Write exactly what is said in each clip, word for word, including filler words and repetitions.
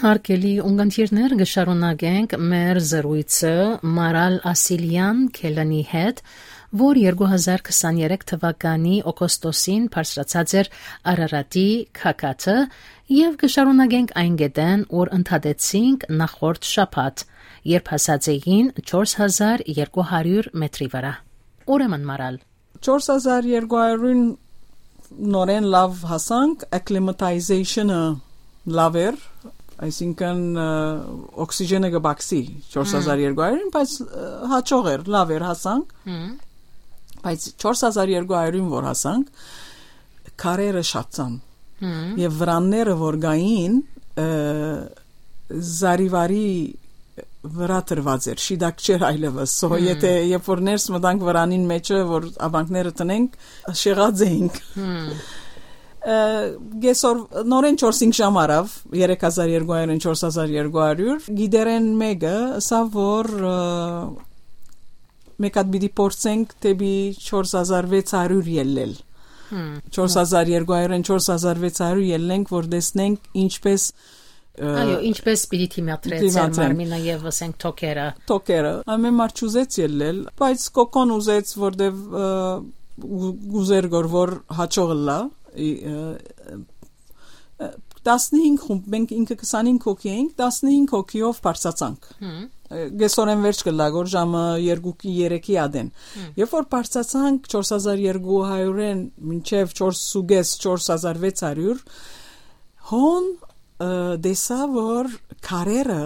Արգելի ունգընտիրներ, կը շարունակենք մեր զրոյցը Մարալ Ասիլեան Քելանի հետ, որ երկու հազար քսաներեք թվականի օգոստոսին բարձրացած էր Արարատի քաքաթը, եւ կը շարունակենք այն կետէն, որ ընդհատեցինք նախորդ շաբաթ, երբ հասած էին չորս հազար երկու հարիւր մետրի վրայ։ Ուրեմն, Մարալ, չորս հազար երկու հարիւրին նորէն լաւ հասանք, acclimatization-ը լաւ էր, այսինքն, ը, օքսիժենը կը բացի չորս հազար երկու հարիւրին, բայց, ը, հաճող էր, լաւ էր, հասանք։ Բայց չորս հազար երկու հարիւրին որ հասանք, քարերը շատցան։ Եւ վրանները որ գային, ը, զարիվարի վրա դրուած էր, շիտակ չէր այլեւս։ So, եթե երբ որ ներս մտանք վրանին մեջը, որ ապանքները տնենք, շեղած էինք։ Ը, կեսօր, նորէն չորս հինգ ժամ առաւ, երեք հազար երկու հարիւրէն չորս հազար երկու հարիւր, գիդերեն մէկը ըսաւ, որ, ը, մեկ հատ պիտի փորձենք դէպի չորս հազար վեց հարիւր ելլել։ Չորս հազար երկու հարիւրէն չորս հազար վեց հարիւր ելլենք, որ տեսնենք ինչպես, ը, Այո, ինչպես պիտի դիմադրե դիմադրեն։ Ձեր մարմինը եւ, ասենք, թոքերը։ Թոքերը։ Ամեն մարդ չուզեց ելլել, բայց Կոկոն ուզեց, որտեւ, ը, ու-, ուզեր գոր որ հաճող ըլլա, ի, ը, ը, տասնհինգ խումբ, մենք ինքը քսանհինգ հոգի էինք, տասնհինգ հոգիով բարձացանք։ Ը, կեսօրէն վերջ կը լագոր ժամը երկուքի, երեքի ադեն։ Երբ որ բարձացանք չորս հազար երկու հարիւրէն մինչեւ չորս ու կես, չորս հազար վեց հարիւր, հոն, ը, տեսա, որ քարերը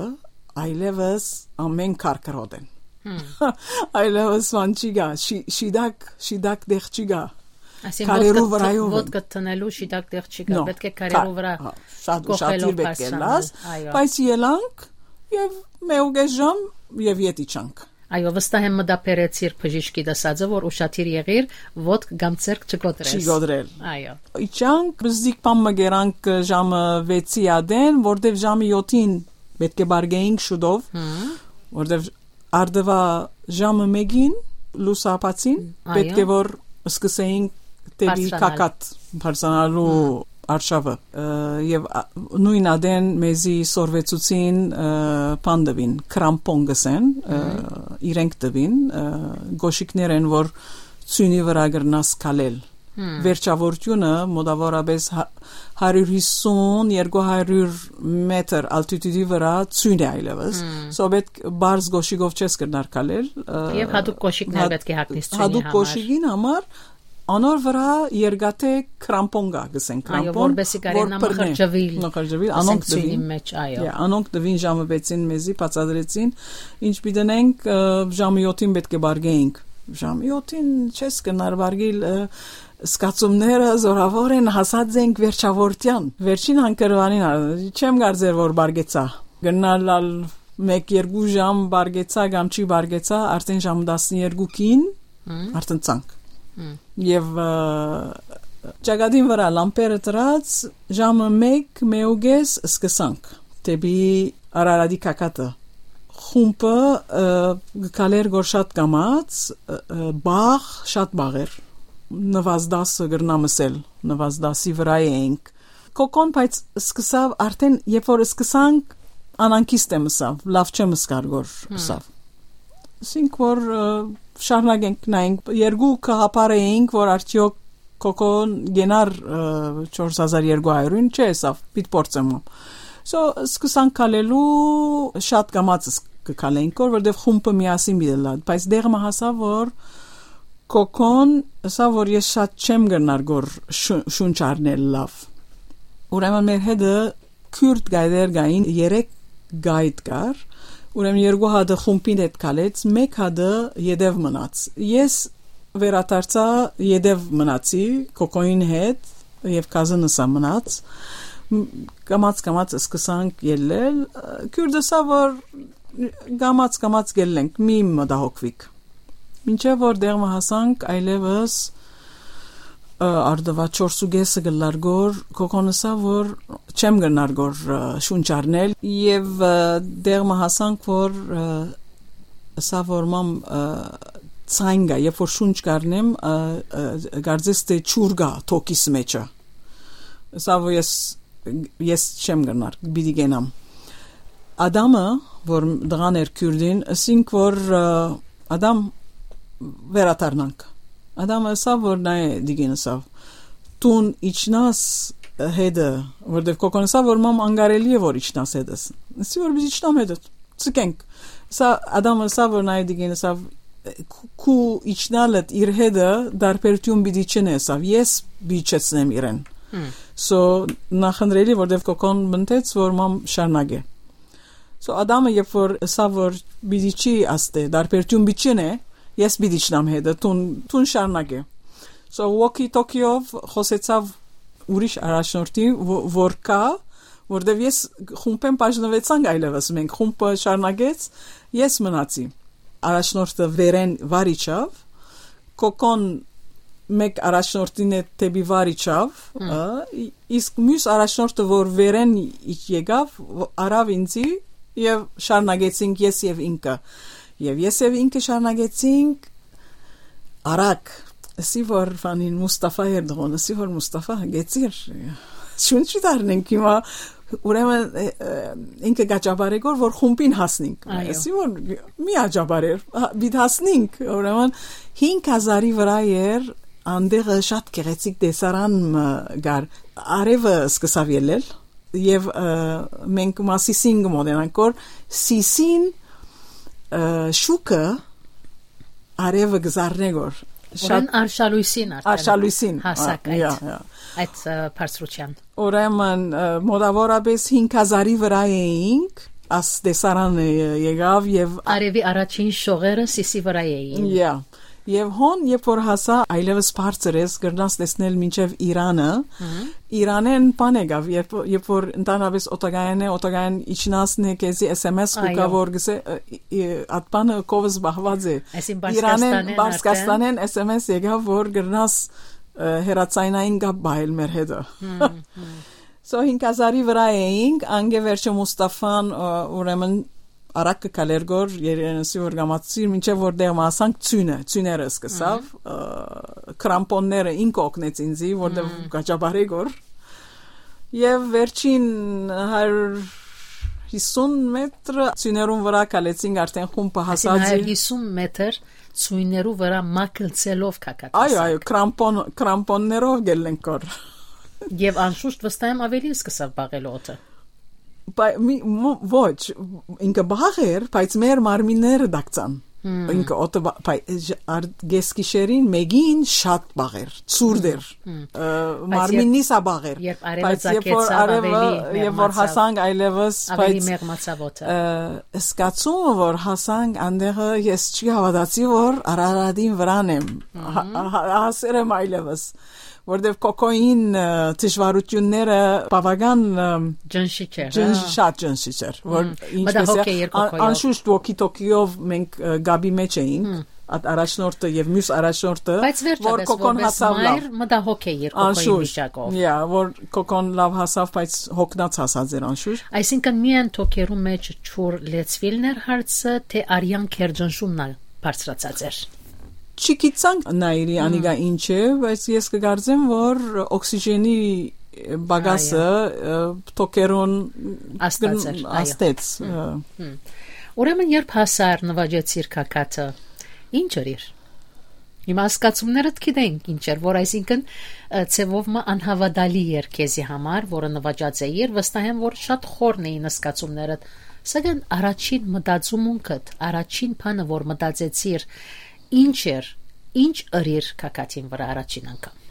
այլեւս ամեն քարքրոտ են։ Այլեւս վան չի գա, շի-, շիտակ, շիտակ դեղ չի գա։ Այսինքն, քարերու ոտքը տ-, վրայով են։ Ոտքը տնելու շիտակ դեղ չի գա, No, պետք է քարերու քա-, վրա հա, շատ կոխելով ուշադիր պետք է բարձրանալ, լաս, այո։ Բայց ելանք եւ մէկ ու կես ժամ եւ ետ իջանք։ Այո, վստահ եմ մտաբերեցիր բժիշկի դասածը, որ ուշադիր եղիր, ոտք կամ ձեռք չկոտրես։ Չի կոտրել։ Այո։ Իջանք, բզդիկ բան մը գերանք ժամը վեցի ադեն, որտեւ ժամը յոթին պետք է բարգեինք շուտով, որտեւ արդվա ժամը մեկին լուսաբացին, Այո։ պետք է որ սկսեինք դեպի Բարձրանալ։ Քակատ բարձրանալու արշավը, ը, եւ, ա, նոյն ադեն մեզի սորվեցուցին, ը, բան տուին, կրամպոն գսեն, ը, իրենք տուին, ը, գոշիկներ են, որ ծյունի վրա կրնաս քալել։ Վերջավորությունը մոտավորապես հա-, հարիւր հիսուն, երկու հարիւր մետր ալտիտուտի վրա ծյուն է այլեւս։ So պետք բարձ գոշիկով չես կրնար քալել, ը, Եւ հատուկ գոշիկներ հատ-, պետք է հագնես ծյունի հատուկ համար։ Գոշիկին համար անոր վրա երկաթե կրամպոն կա, գսեն, Այո, կրամպոն, որպեսզի կարենա որ բռնե, մխրճվել, մխրճվել, ասենք, անոնք ծյունի տվին։ Մեջ, այո։ Yeah, անոնք տվին ժամը վեցին մեզի, բացատրեցին, ինչ պիտի դնենք, ը, ժամը յոթին պետք է բարգեինք։ Ժամը յոթին չես կնար բարգիլ, ը, զգացումները զորավոր են, հասած ենք վերջավորության։ Վերջին հանգրուանին, ա, չեմ կարծեր որ բարգեցա։ Գնալ ալ մեկ երկու ժամ բարգեցա կամ չի բարգեցա, արդեն ժամը տասներկուքին, արդեն ցանկ։ Եւ, ը, ճակատին վրա լամպերը դրած, ժամը մեկ, մէկ ու կես սկսանք դեպի Արարատի քակատը։ Խումբը, ը, գկալեր գոր շատ կամած, ը, ը, բաղ, շատ բաղ էր։ Նվազդասը կրնամ ըսել, նվազդասի վրա էինք։ Կոկոն, բայց սկսավ արդեն, երբ որ սկսանք, անանքիստ եմ ըսավ, լավ չեմ ըսկար գոր ըսավ։ Ասինք որ, ը, շարունակենք նայենք, երկու կհապար էինք, որ արդյոք Կոկոն գենար, ը, չորս հազար երկու հարիւրին, չէ, ըսավ, պիտ փորձեմ ում։ So, սկսանք քալելու, շատ կամած ս-, կքալենք գոր, որտեւ խումբը միասին պիտի լա, բայց դեղ մը հասա, որ Կոկոն ըսա, որ ես շատ չեմ կրնար գոր շու-, շունչ առնել լաւ։ Ուրեմն մեր հետը քուրդ գայդեր կային, երեք գայդ կար, ուրեմն երկու հատը խումբին հետ քալեց, մեկ հատը յետեւ մնաց։ Ես վերադարձա, յետեւ մնացի Կոկոյին հետ եւ Կազնսա մնաց։ Մ-, կամած-կամած սկսանք ելլել, քուրդը ըսա, որ կամած-կամած կելլենք, մի մտահոգվիք։ Մինչեւ որ դեղ մը հասանք, այլեւս, ը, արդվա չորս ու կեսը կլար գոր, Կոկոն ըսա, որ չեմ կրնար գոր, ը, շունչ առնել, եւ, ը, դեղ մը հասանք, որ, ը, ըսա, որ մամ, ը, ցայն գա, երբ որ շունչ կառնեմ, ը, ը, կարծես թե ջուր գա թոքիս մեջը։ Ըսա, որ ես, ես չեմ կրնար, պիտի կենամ։ Ադամը, որ տղան էր քիւրտին, ըսինք որ, ը, Ադամ, վերադառնանք։ Ադամը ըսաւ որ նայ, դիգին ըսաւ, «Տուն իջնաս հետը», որտեւ կոկոն ըսաւ որ մամ անկարելի է որ իջնաս հետս։ Ըսի որ պիտի իջնամ հետը, ցկենք։ Սա Ադամը ըսաւ որ նայ, դիգին ըսաւ, «Քու, քու իջնալդ իր հետը դարբերություն պիտի չնե», ըսաւ, «ես պիտի չեցնեմ իրեն»։ So, նախընտրելի, որտեւ կոկոն մտեց որ մամ շարունակե։ So, Ադամը երբ որ ըսաւ որ պիտի չի, աստե, դարբերություն պիտի չնե, «ես պիտի իջնամ հետը, տուն, տուն շարունակե»։ So, walkie-talkie-ով խօսեցաւ ուրիշ առաջնորդի, ո-, որ կայ, որտեւ ես խումբէն բաժնուեցանք այլեւս, մենք խումբը շարունակեց, ես մնացի։ Առաջնորդը վերէն վար իջաւ, կոկոն մէկ առաջնորդին հետ դէպի վար իջաւ, ը, ի-, իսկ միւս առաջնորդը որ վերէն իջ-, եկաւ, ո-, առաւ ինձի եւ շարունակեցինք ես եւ ինքը։ Եվ ես եւ ինքը շարունակեցինք արագ, ըսի որ Ֆանին, Մուստաֆա Էրդողան, ըսի որ Մուստաֆա, գեցիր, շունչ չի դառնենք հիմա, ուրեմն, ը, ը, ինքը գաճապարեգոր որ խումբին հասնենք։ Այո։ Ըսի որ մի աջապարեր, հա, պիտ հասնենք, ուրեմն հինգ հազարի վրա էր, անդեղը շատ գեղեցիկ տեսարան մը կար, արևը սկսաւ ելել, եւ, ը, մենք Մասիսին կը մոտենանք, որ Սիսին, ը, շուքը արևը կը զարնէ գոր։ Շատ Ուրեն արշալույսին արդեն Արշալույսին, հասակ ա, այդ, յա, յա։ Այդ, ը, բարձրության։ Ուրեմն, ը, մոտավորապես հինգ հազարի վրա էինք, աս տեսարանը ե-, եղավ եւ Արևի առաջին շողերը Սիսի վրա էին։ Յա։ Եւ հոն, երբ որ հասա, այլեւս բարձր ես, կրնաս տեսնել մինչեւ Իրանը։ Մհմ։ Իրանեն բան եկավ, երբ, երբ որ ընդհանրապես օտագայանէ, օտագայան իջնասն է, քեզի S M S կուկա, Այո։ որ գսե, ը, ը, ատ բանը կովս բահված է։ Այսին Իրանեն, Բարսկաստանեն Բարսկաստանեն S M S եկավ, որ կրնաս, ը, հեռացայնային կապ բահել մեր հետը։ Մհմ, մհմ։ So, հինգ հազարի վրա էինք, անգե վերջը Մուստաֆան, ը, ուրեմն արագ կը քալեր գոր, երենսի որ գամացիր, մինչեւ որ դեղ մը հասանք ծույնը, ծույները սկսավ, Մհմ։ ը, կրամպոնները ինքը օգնեց ինձի, որտեղ Մհմ։ գաճապարեգոր։ Եվ վերջին հարյուր հիսուն մետր ծույներուն վրա քալեցինք, արդեն խումբը Այսինքն հասած հարյուր հիսուն մետր ծույներու վրա մակլցելով կակատ Այո, հասանք։ Այո, կրամպոն-, կրամպոններով գելնենք գոր։ Եվ անշուշտ վստահ եմ ավելի սկսավ բաղել օդը։ Պայ-, մի, մո-, ոչ, ինքը բաղ էր, բայց մեր մարմինները դակցան։ Հմ։ Ինքը օդը բա-, պայ-, ժ-, ար-, գեսկիշերին մեկին շատ բաղ էր, ցուրտ էր։ Հմ, հմ։ Ը, Բայց մարմիննիս երբ, ա բաղ էր, երբ արևը բայց երբ որ ձագեցավ, արևը, ավելի երբ որ մեղմացավ, հասանք այլևս, ավելի բայց, մեղմացավ օդը։ ը, զգացումը որ հասանք անդեղը, ես չի հավատացի որ Արարատին վրան եմ, հա-, Մհմ։ հա-, հասեր եմ այլևս, որտեվ կոկոյին, ը, դժվարությունները բավական, ը, Ջնշիչ էր, ջնշ-, հա։ շատ ջնշիչ էր, որ Հմ, ինչպես է, մտահոգ էիր ան-, կոկոյով։ անշուշտ walkie-talkie-ով մենք, ը, գաբի մեջ էինք, Հմ։ ատ-, առաջնորդը եւ մյուս առաջնորդը, Բայց որ վերջապես, կոկոն որպես հասավ լավ։ մայր, մտահոգ էիր կոկոյի Անշուշտ, վիճակով։ Յա, որ կոկոն լավ հասավ, բայց հոգնած հասած էր անշուշտ։ Այսինքն միայն թոքերու մեջ ջուր լեցվիլն էր հարցը, թե արյան քերջնշումն ալ բարձրացած էր։ Չգիտցանք Նայիրի Հմ։ անիկա ինչ է, բայց ես կգարձեմ, որ օքսիժենի պակասը, Այո։ ը, թոքերուն Աստած էր, գն-, այո։ աստեց, Հմ, ը։ հմ։ Ուրեմն երբ հասար նվաճեցիր կակատը, ինչ էր իր։ Հիմա ասկացումներդ գիտենք ինչ էր, որ այսինքն, ը, ձևով մը անհավատալի էր քեզի համար, որը նվաճած էիր, վստահ եմ, որ շատ խորն էին ասկացումներդ, սակայն առաջին մտածումունքդ, առաջին բանը, որ մտածեցիր, ինչ էր, ինչ ըրիր կակատին վրա առաջին անգամ։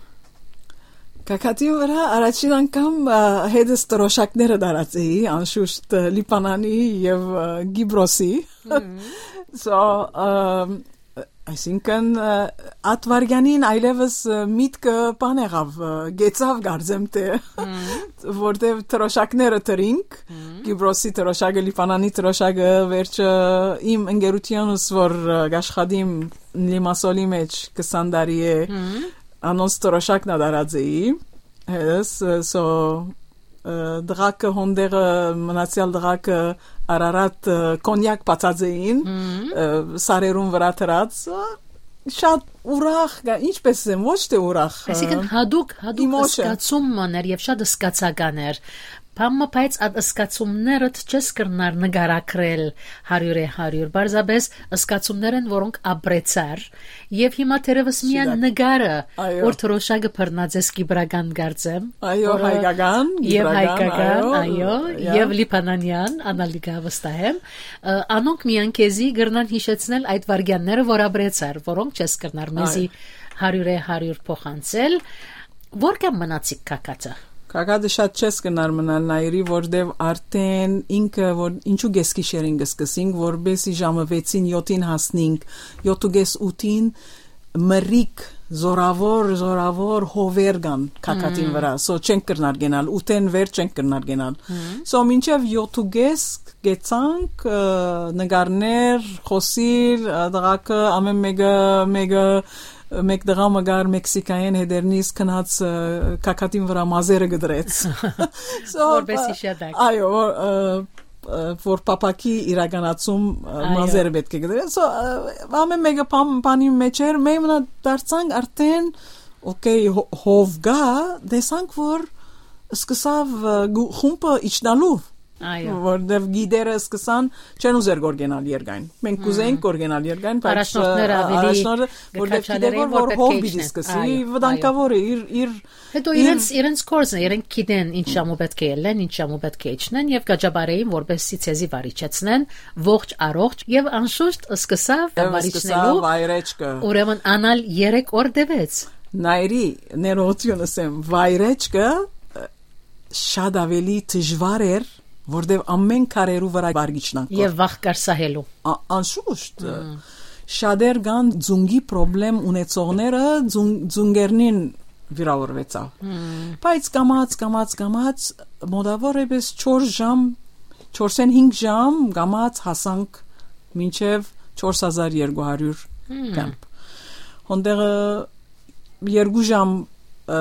Կակատին վրա առաջին անգամ, ը, հետս տրոշակները դարած էի, անշուշտ, ը, Լիբանանի եւ, ը, Կիպրոսի։ Մհմ։ So, ը, այսինքն, ը, ատ վարգանին այլևս, ը, միտքը բան եղավ, ը, գեցավ գարձեմ թե, Մհմ։ որտեվ տրոշակները տրինք, Մհմ։ Կիպրոսի տրոշակը, Լիբանանի տրոշակը, վերջը իմ ընկերությունս, որ, ը, կաշխատիմ Լիմասոլի մեջ քսան տարի է, Մհմ։ անոնց տրոշակն ա դարած էի, հես, ը, so, ը, դղակը հոնդեղը, մնացյալ դղակը Արարատ, ը, կոնյակ բացած էին, Մհմ։ ը, սարերուն վրա դրած, ը, շատ ուրախ, գա-, ինչպես եմ, ոչ թե ուրախ, ը, Այսինքն հատուկ, հատուկ emotion։ զգացում մն էր եւ շատ զգացական էր։ բան մը, բայց այդ զգացումներդ չես կրնար նկարագրել հարիւրէ հարիւր։ Պարզապէս զգացումներ են, որոնք ապրեցար, եւ հիմա թերեւս միայն Շիդակ։ Նկարը, Այո։ որ թրոշակը բռնած ես կիպրական, կարծեմ, Այո, որը հայկական, եւ կիպրական, հայկական, այո, այո, yeah. Եւ լիբանանյան, անալիգա վստահ եմ։ Ը, անոնք միայն քեզի կրնան յիշեցնել այդ վարգեանները, որ ապրեցար, որոնք չես կրնար մեզի Այո։ հարիւրէ հարիւր փոխանցել։ Որքան մնացիք Քաքատը։ Քագատը շատ չես կնար մնալ Նայիրի, որտեւ արդեն ինքը, որ ինչու կեսկի շերին կսկսինք, որպեսի ժամը վեցին յոթին հասնինք, յոթ ու կես ութին մրիկ, զորավոր, զորավոր հովեր կան Քագատին Մմ։ վրա, so չենք կրնար գնալ, ութեն վեր չենք կրնար գնալ։ Մմ։ So մինչեւ յոթ ու կես գեցանք, ը, նկարներ, խոսիլ, ը, դղակը, ամեն մեկը, մեկը, մեկ դղա մը կար Մեքսիկայէն, հետերնից գնաց, ը, Քագատին վրա մազերը կդրեց։ So, Որպեսզի ը, շատակ։ Այո, որ, ը, ը, որ փափաքի իրականացում, ը, Այո։ մազերը պետք է կդրեն։ So, ը, ամեն մեկը բան-, բանի մեջ էր, մենք մնա դարձանք արդեն, օքեյ, հո-, հով գայ, տեսանք, որ սկսաւ, ը, գու-, խումբը իջնալու, Այո։ որտեւ գիդերը սկսան, չեն ուզեր գոր գնալ երկայն։ Մենք Մմ։ կուզեինք գոր գնալ երկայն, բայց, Առաջնորդները ը, ավելի առաջնորդը, որտեւ գիտեք, կքաչալերեն, որ որ պետք է հով պիտի իջնեն։ սկսի, Այո, վտանգաւոր է, իր, իր, Հետո իր իրենց, իրենց կորձն է, իրենք գիտեն ինչ ժամու պետք է ելնեն, ինչ ժամու պետք է իջնեն, եւ կաճապարեին, որպեսզի ցեզի վարիչեցնեն, ողջ առողջ, եւ անշուշտ սկսաւ Եվ վարիչնելու, սկսաւ վայրեջքը։ Ուրեմն անալ երեք օր տևեց։ Նայրի, ներողություն ասեմ, վայրեջքը, ը, շատ ավելի դժվար էր, որտեւ ամեն քարերու վրա վարգիչնանք կոր։ Եւ վախ կար սահելու։ Ա-, անշուշտ, Մմ։ շատեր կան ձունկի պրոբլեմ ունեցողները, ձուն-, ձունկերնին վիրավորվեցաւ։ Մմ։ Բայց կամած, կամած, կամած, մոտավորապես չորս ժամ, չորսէն հինգ ժամ կամած հասանք մինչեւ չորս հազար երկու հարիւր Մմ։ կամպ։ Հոնդեղը երկու ժամ, ը,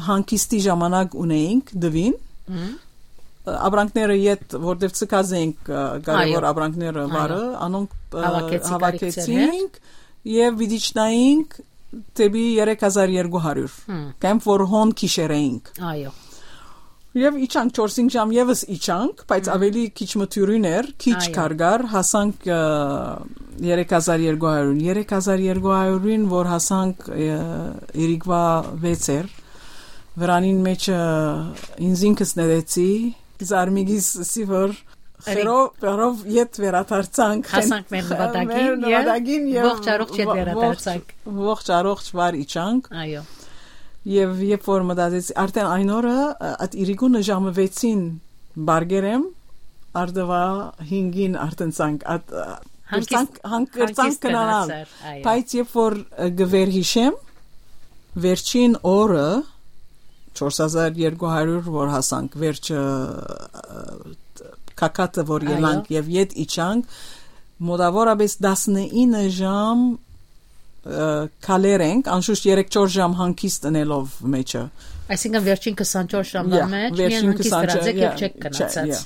հանգիստի ժամանակ ունեինք դուին։ Մմ։ Ը, ապրանքները յետ, որտեւ ցկած էինք, ը, կարեւոր Այո։ ապրանքները Այո։ վարը, անոնք, ը, Հավաքեցի կարիք ձեռներ։ Հավաքեցինք եւ պիտի իջնայինք դեպի երեք հազար երկու հարիւր, Հմ։ կամպ որ հոն քիշեր էինք։ Այո։ Եւ իջանք, չորս-հինգ ժամ եւս իջանք, բայց Հմ։ ավելի քիչ մը դիւրին էր, քիչ Այո։ քար կար, հասանք, ը, երեք հազար երկու հարիւրին։ Երեք հազար երկու հարիւրին, որ հասանք, ը, իրիկվա վեց էր, վրանին մեջ, ը, ինձ ինքս նետեցի, զարմիգիս սի որ Էլի։ խերով, խերով յետ վերադարձանք։ Հասանք մեր նպատակին Մեր և նպատակին և ողջ առողջ յետ ո-, վերադարձանք։ ողջ, ողջ առողջ վար իջանք։ Այո։ Եվ երբ որ մտածեցի, արդեն այն օրը, ը, այդ իրիկունը ժամը վեցին բարգեր եմ, արդվա հինգին արդեն ցանկ, այդ, ը, Հանգիստ-, կրցանք, հանգ-, կրցանք հանգիստ կնանալ։ Գնացար, այո։ Բայց երբ որ, ը, գվեր հիշեմ, վերջին օրը, չորս հազար երկու հարիւր որ հասանք, վերջը, ը, քակատը որ Այո։ ելանք և յետ իջանք, մոտավորապես տասնինը ժամ, ը, քալեր ենք, անշուշտ երեք-չորս ժամ հանգիստ ընելով մեջը։ Այսինքն վերջին քսանչորս ժամվա Յա, մեջ միայն վերջին հանգիստ քսանչորս, դրած եք և յա, չեք չ-, գնացած։ յա։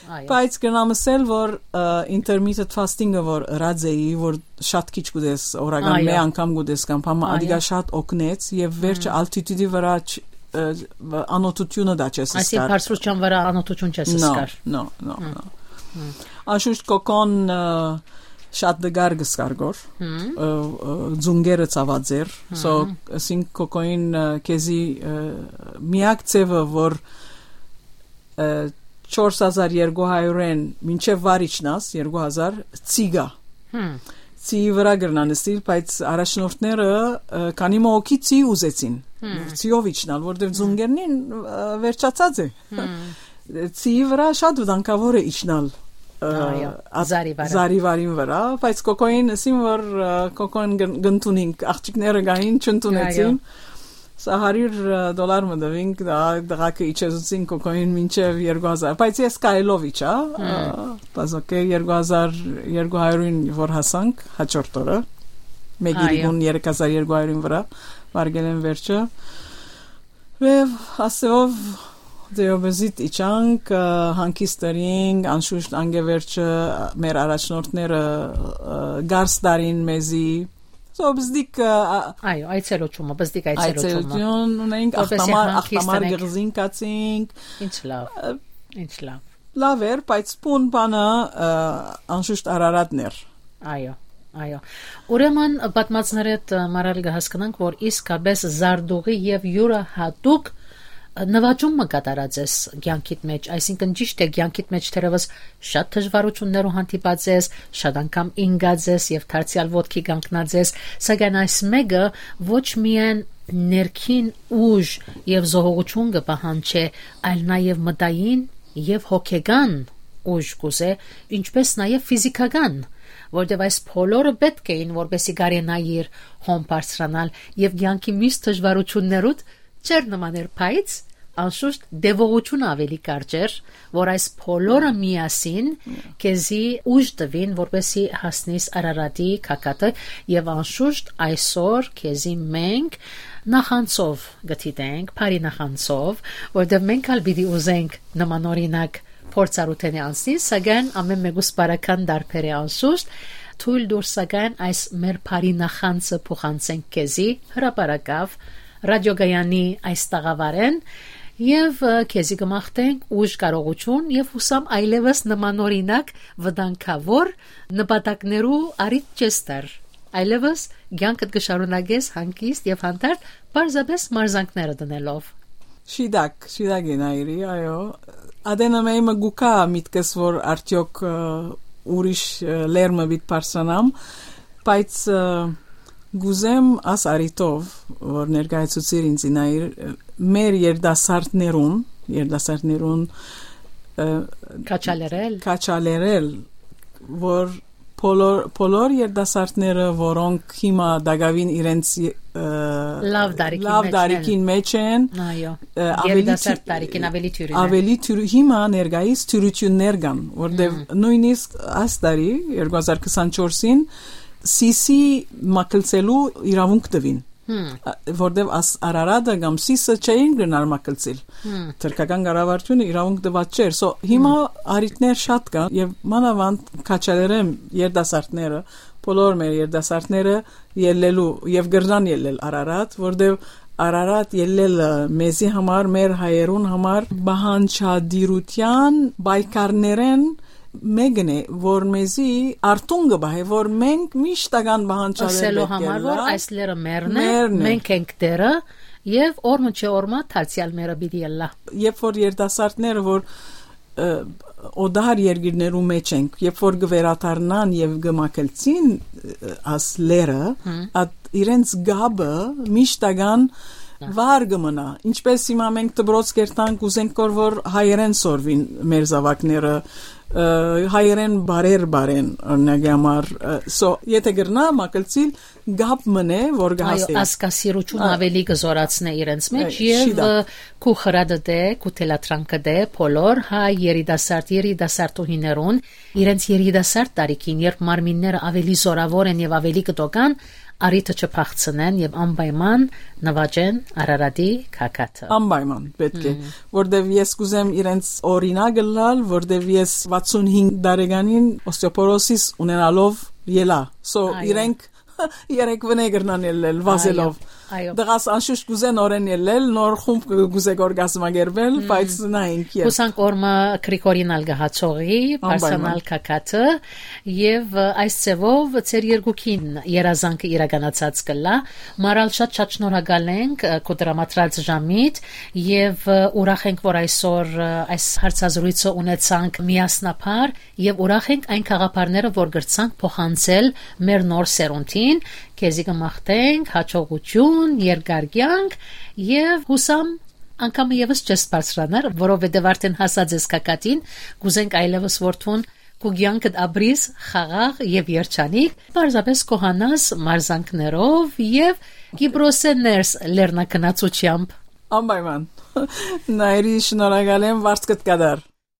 Այո։ Բայց կրնամ ասել, որ, ը, intermittent fasting-ը որ ըրած էի, որ շատ քիչ կուտես, օրական Այո։ մեկ անգամ կուտես կամ բան, Այո։ ադիգա շատ օգնեց և վերջը Հմ։ altitude-ի վրա չ-, ը, անօթությունը դա չես Այսինքն զգար։ բարձրության վրա անօթություն չես No, զգար։ no, no, Հմ։ no։ Հմ։ Անշուշտ կոկոն, ը, շատ դգար կսկար գոր, Հմ։ ը, ը, ձունգերը ցաված էր, Հմ։ so, ասինք կոկոին, ը, քեզի, ը, միակ ձևը, որ, ը, չորս հազար երկու հարիւրէն մինչեւ վար իջնաս, երկու հազար, ցի կայ։ Հմ։ Ցիի վրա կրնան նստիլ, բայց առաջնորդները, ը, քանի մը հոգի ցի ուզեցին, Հմ։ ցիով իջնալ, որտեւ Հմ։ ձունգերնին, ը, վերջացած է։ Հմ։ Ցիի վրա շատ վտանգավոր է իջնալ, ը, Այո, այդ զարի վարը։ զարի վարին վրա, բայց կոկոին ասին, որ, ը, կոկոին կն-, կընդունինք, աղջիկները գային, չընդունեցին։ Այո։ Սա հարիւր դոլար մը տվինք, դա դղակը իջեցուցին կոկոին մինչեւ երկու հազար, բայց ես քայլով իջա, Հմ։ ը, բայց օքեյ, երկու հազար երկու հարիւրին որ հասանք, հաջորդ օրը, մեկ Այո։ իրիկուն երեք հազար երկու հարիւրին վրա, վարգել են վերջը։ Եվ ասեղով դեոբեզիտ իջանք, ը, հանգիստ ըրինք, անշուշտ անգե վերջը մեր առաջնորդները, ը, գարս տարին մեզի, Դոբզդիկ, ը, ա- Այո, այցելոյցումը, բզդիկ այցելոյցումը։ Այցելություն ունենք, Որպեսզի ախտամար, հանգիստ ախտամար ունենք։ Գղզին կացինք։ Ինչ լավ, ինչ լավ։ Լավ էր, բայց բուն բանը, ը, անշուշտ Արարատն էր։ Այո, այո։ Ուրեմն, պատմածներէդ, ը, մարալ կը հասկնանք, որ իսկապես զարտուղի եւ յուրահատուկ, ը, նվաճում մը կատարած ես կեանքիդ մեջ, այսինքն ճիշդ է, կեանքիդ մեջ թերեւս շատ դժվարություններու հանդիպած ես, շատ անգամ ինկած ես եւ դարձեալ ոտքի կանգնած ես, սակայն այս մեկը ոչ միայն ներքին ուժ եւ զոհողություն կը պահանջէ, այլ նաեւ մտային եւ հոգեկան ուժ կուզէ, ինչպէս նաեւ ֆիզիքական, որտեւ այս բոլորը պէտք էին, որպեսզի կարենայիր հոն բարձրանալ եւ կեանքի միշտ դժվարություններուդ չէր նմաներ, բայց անշուշտ տեւողությունը ավելի կարճ էր, որ այս բոլորը միասին քեզի ուժ տուին, որպեսզի հասնիս Արարատի գագաթը, եւ անշուշտ այսօր քեզի մենք նախանցով կը դիտենք, բարի նախանցով, որտեւ մենք ալ պիտի ուզենք նմանօրինակ փորձառութենէ անցնի, սակայն ամէն մեկուս բարական դարբեր է անշուշտ, թույլ տուր սակայն այս մեր բարի նախանցը փոխանցենք քեզի հրապարակաւ, ռադիոգայանի այս տաղավարեն, եւ, ը, քեզի կը մաղթենք ուժ, կարողություն եւ յուսամ այլեւս նմանօրինակ վտանգաւոր նպատակներու առիթ չես տար, այլեւս կեանքդ կը շարունակես հանգիստ եւ հանդարտ պարզապէս մարզանքները դնելով։ Շիդակ, շիդակ է Նայիրի, այո։ Ադենը մէյ մը գուկա միտքս, որ արդեօք, ը, ուրիշ, ը, լեր մը պիտ բարձրանամ, բայց, ը, գուզեմ աս արիտով, որ ներկայացուցիր ինձ Նայիր, ը, մեր երդասարտներուն, երդասարտներուն, ը, Քաչալերել։ Քաչալերել, որ բոլոր, բոլոր երդասարտները, որոնք հիմա դակավին իրենց, ը, Լաւ տարիքին լաւ մեջ են։ Տարիքին մեջ են, Այո։ ը, ավելի Երիտասարդ թի- տարիքին ավելի թյուրին է։ Ավելի թյուրի-, հիմա ներկայիս թյուրություններ կան, որտեւ Հմ։ նույնիսկ այս տարի, երկու հազար քսանչորսին, Սիսի մակլցելու իրավունք տվին։ Հմ։ Ա, որտեւ աս Արարատը կամ Սիսը չէին գնար մակլցիլ։ Հմ։ Թրքական կառավարութիւնը իրավունք տված չէր։ So, հիմա Հմ։ Արիտներ շատ կան եւ մանավանդ քաչալերեմ երդասարտները, բոլոր մեր երդասարտները ելլելու եւ կրնան ելլել Արարատ, որտեւ Արարատ ելլելը մեզի համար, մեր հայերուն համար պահանջադիրութեան պայքարներեն մեկն է, որ մեզի արթուն կը պահէ, որ մենք միշտական պահանջարեր Ասելու պէտք է համար, որ լա- այս լերը մերն է, մերն է։ Մենք ենք դերը, եւ օրմը չէ օրմա դարձեալ մերը պիտի ելլա։ Երբ որ երիտասարդները, որ, ը, օտար երկիրներու մեջ ենք, երբ որ կը վերադառնան եւ կը մակլցին, ը, աս լերը, Հմ։ Այդ իրենց գաբը միշտական Հա։ վար կը մնա։ Ինչպես հիմա մենք դպրոց կերտանք, ուզենք կոր որ հայերեն սորվին մեր զավակները, ը, հայերեն բարեր բարեն, օրինակի համար, ը, so, եթե կրնա մակլցիլ, գապ մնե, որ Այո, կհասնի։ Ասկասիրությունը Ա- ավելի կը զորացնե իրենց մեջ Այ, եւ, շիդա։ Ը, քու խրատը դե, քու թելադրանքը դե, բոլոր հայ երիտասարդ, երիտասարդուհիներուն, իրենց երիտասարդ տարիքին, երբ մարմինները ավելի զորավոր են եւ ավելի կտոկան, արիթը չփախցնեն եւ անպայման նվաճեն Արարատի գագաթը։ Անպայման պետք է, Մմ։ Որտեւ ես կուզեմ իրենց օրինակ ըլլալ, որտեւ ես վաթսուն հինգ տարեկանին օսթեոպորոսիս ունենալով ելա։ So, Այո։ Իրենք երեք վնե կրնան ելլել, վազելով։ Այո, այո։ Դղաս անշուշտ կուզեն օրեն ելլել, նոր խումբ կը-, կուզե կոր կազմակերպել, Մմ։ Բայց նայենք երբ։ Հուսանք օրմը Գրիգորին ալ կը հաջողի, Անպայման։ Պարսանալ գագաթը, եւ, ը, այս ձևով ձեր երկուքին երազանքը իրականացած կլա։ Մարալ շատ շատ շնորհակալ ենք, ը, քո դրամատրած ժամիդ, եւ, ը, ուրախ ենք, որ այսօր, ը, այս հարցազրույցը ունեցանք միասնաբար, եւ ուրախ ենք այն գաղափարները, որ կրցանք փոխանցել մեր նոր սերունդին, քեզի կը մաղթենք հաջողություն, երկար կեանք, եւ հուսամ անգամ եւս չես բարձրանար, որովհետեւ արդեն հասած ես գագաթին, կուզենք այլեւս որ դուն քու կեանքդ ապրիս խաղաղ եւ երջանիկ, պարզապես կոհանաս մարզանքներով եւ Կիպրոսէ ներս լեռնակնացությամբ։ Անպայման։ Նայիրի, շնորհակալ եմ, վարձ կտ կդար։